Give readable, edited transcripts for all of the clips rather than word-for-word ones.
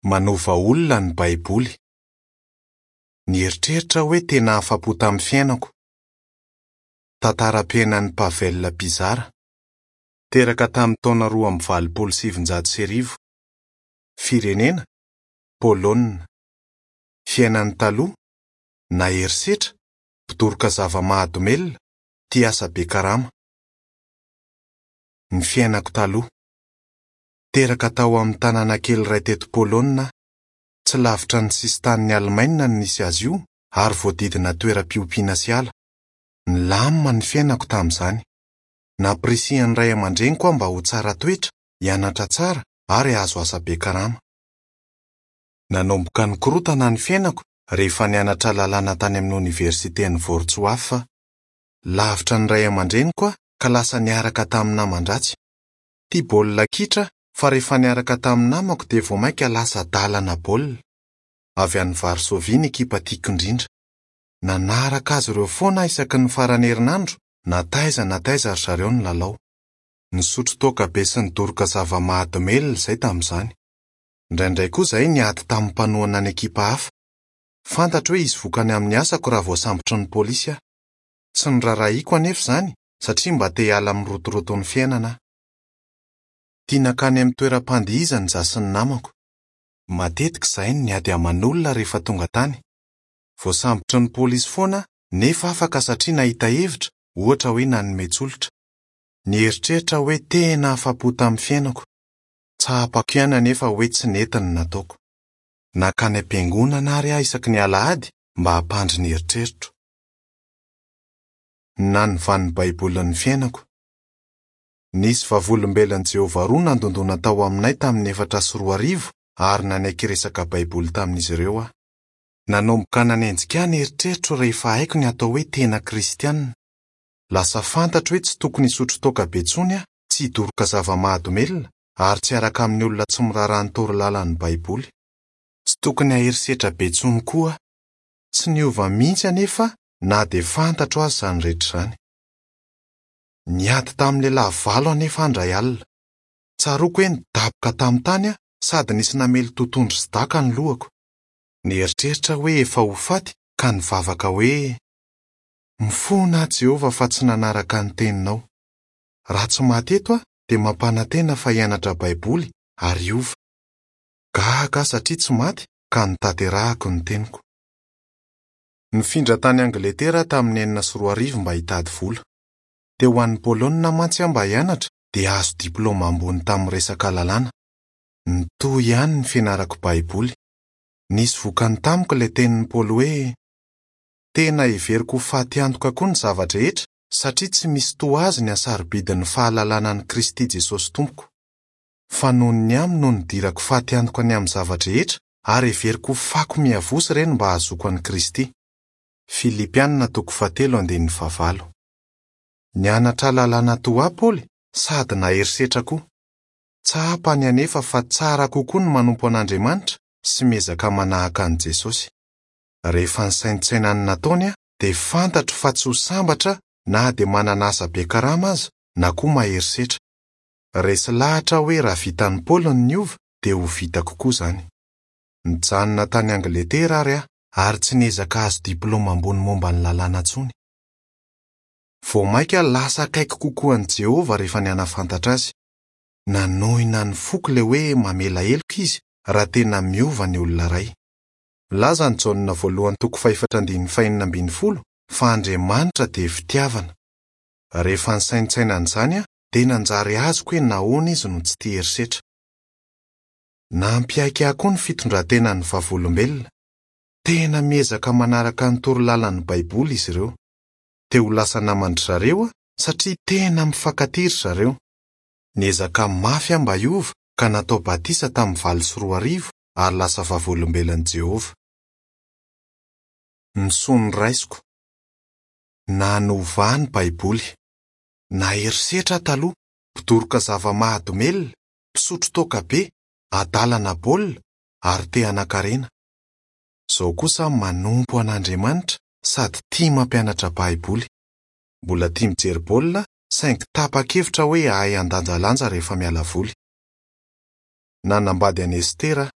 Manova olona ny Baiboly. Nieritreritra aho hoe tena afa-po tamin'ny fiainako. Tantaram-piainan'i Pavel Pyzara. Teraka tamin'ny taona 1982. Firenena, Polonina. Fiainany taloha, Nahery setra, mpidoroka zava-mahadomelina, tia asa be karama. Ny fiainako taloha. Teraka tao amin'ny tanàna kely iray teto Polonina aho. Tsy lavitra ny sisin-tanin'i Alemaina no nisy azy io, ary voadidina toeram-piompiana sy ala. Nilamina ny fiainako tamin'izany. Nampirisihan'ny ray aman-dreniko aho mba ho tsara toetra, hianatra tsara, ary hahazo asa be karama. Nanomboka nikorontana ny fiainako rehefa nianatra lalàna tany amin'ny oniversiten'i Wrocław aho. Lavitra ny ray aman-dreniko aho ka lasa niaraka tamin'ny naman-dratsy. Tia baolina kitra aho fa rehefa niaraka tamin'ny namako dia vao mainka lasa adalana baolina. Avy any Varsovie ny ekipa tiako indrindra. Nanaraka azy ireo foana aho isaky ny faran'ny herinandro na taiza na taiza ry zareo nilalao. Nisotro toaka be sy nidoroka zava-mahadomelina izay tamin'izany. Indraindray koa izahay niady tamin'ny mpanohana ny ekipa hafa. Fantatro hoe hisy vokany amin'ny asako raha voasambotry ny polisy aho. Tsy noraharahiako anefa izany satria mba te hiala amin'ny rotoroton'ny fiainana aho. Tia nankany amin'ny toeram-pandihizana izaho sy ny namako. Matetika izahay no niady aman'olona rehefa tonga tany. Voasambotry ny polisy foana aho nefa afaka satria nahita hevitra, ohatra hoe nanome tsolotra. Nieritreritra aho hoe tena afa-po tamin'ny fiainako. Tsapako ihany anefa hoe tsy nety ny nataoko. Nankany am-piangonana àry aho isaky ny alahady mba hampandry ny eritreritro. Ny nanovan'ny Baiboly ny fiainako. Nisy Vavolombelon'i Jehovah roa nandondòna tao aminay tamin'ny 2004, ary nanaiky hiresaka Baiboly tamin'izy ireo aho. Nanomboka nanenjika ahy ny eritreritro rehefa haiko ny atao hoe tena Kristianina. Lasa fantatro hoe tsy tokony hisotro toaka be intsony aho, tsy hidoroka zava-mahadomelina, ary tsy hiaraka amin'ny olona tsy miraharaha ny torolalan'ny Baiboly. Tsy tokony hahery setra be intsony koa aho. Tsy niova mihitsy anefa aho na dia fantatro aza izany rehetra izany. Niady tamin'ny lehilahy valo anefa aho indray alina. Tsaroako hoe nidaboka tamin'ny tany aho sady nisy namely totohondry sy daka ny lohako. Nieritreritra aho hoe efa ho faty ka nivavaka hoe, Mifona aho Jehovah fa tsy nanaraka ny teninao. Raha tsy maty eto aho dia mampanantena fa hianatra Baiboly ary hiova. Gaga aho satria tsy maty ka notanterahako ny teniko. Nifindra tany Angletera aho tamin'ny 2006 mba hitady vola. Te ho any Polonina mantsy aho mba hianatra dia hahazo diplaoma ambony tamin'ny resaka lalàna. Nitohy ihany ny fianarako Baiboly. Nisy vokany tamiko ilay tenin'i Paoly hoe, Tena heveriko ho faty antoka koa ny zava-drehetra, satria tsy misy toa azy ny hasarobidin'ny fahalalana an'i Kristy Jesosy Tompoko. Fa noho ny aminy no nidirako faty antoka ny amin'ny zava-drehetra, ary heveriko ho fako miavosa ireny mba hahazoako an'i Kristy. Filipiana toko fahatelo andininy fahavalo. Nianatra lalàna toa ahy Paoly sady nahery setra koa. Tsapany anefa fa tsara kokoa ny manompo an'Andriamanitra sy miezaka manahaka an'i Jesosy. Rehefa nisaintsaina ny nataony aho dia fantatro fa tsy ho sambatra na dia manana asa be karama aza na koa mahery setra. Resy lahatra aho hoe raha vitan'i Paoly ny niova dia ho vitako koa izany. Nijanona tany Angletera àry aho ary tsy niezaka hahazo diplaoma ambony momba ny lalàna intsony. Vao mainka aho lasa akaiky kokoa an'i Jehovah rehefa nihanafantatra azy. Nanohina ny foko ilay hoe mamela heloka izy raha tena miova ny olona iray. Milaza ny Jaona voalohany toko fahefatra andininy fahenina ambin'ny folo fa Andriamanitra dia fitiavana. Rehefa nisaintsaina an'izany aho, dia nanjary azoko hoe nahoana izy no tsy tia herisetra. Nampiaiky ahy koa ny fitondran-tenan'ny Vavolombelona. Tena miezaka manaraka ny toro lalan'ny Baiboly izy ireo. Te ho lasa naman-dry zareo aho satria tena mifankatia ry zareo. Niezaka mafy aho mba hiova ka natao batisa tamin'ny 2008 ary lasa Vavolombelon'i Jehovah. Ny soa noraisiko. Nanova ahy ny Baiboly. Nahery setra aho taloha, mpidoroka zava-mahadomelina, mpisotro toaka be, adalana baolina, ary te hanan-karena. Izao kosa aho manompo an'Andriamanitra sady tia mampianatra Baiboly. Mbola tia mijery baolina aho, saingy tapa-kevitra hoe hahay handanjalanja rehefa miala voly. Nanambady an'i Estera aho.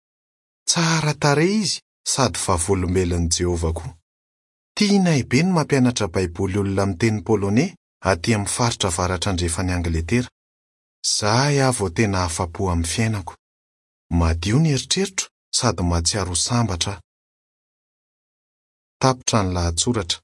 Tsara tarehy izy sady Vavolombelon'i Jehovah koa. Tianay be ny mampianatra Baiboly olona miteny poloney atỳ amin'ny faritra avaratra-andrefan'i Angletera. Izay aho vao tena afa-po amin'ny fiainako. Madio ny eritreritro sady mahatsiaro ho sambatra aho. Tapitra ny lahatsoratra.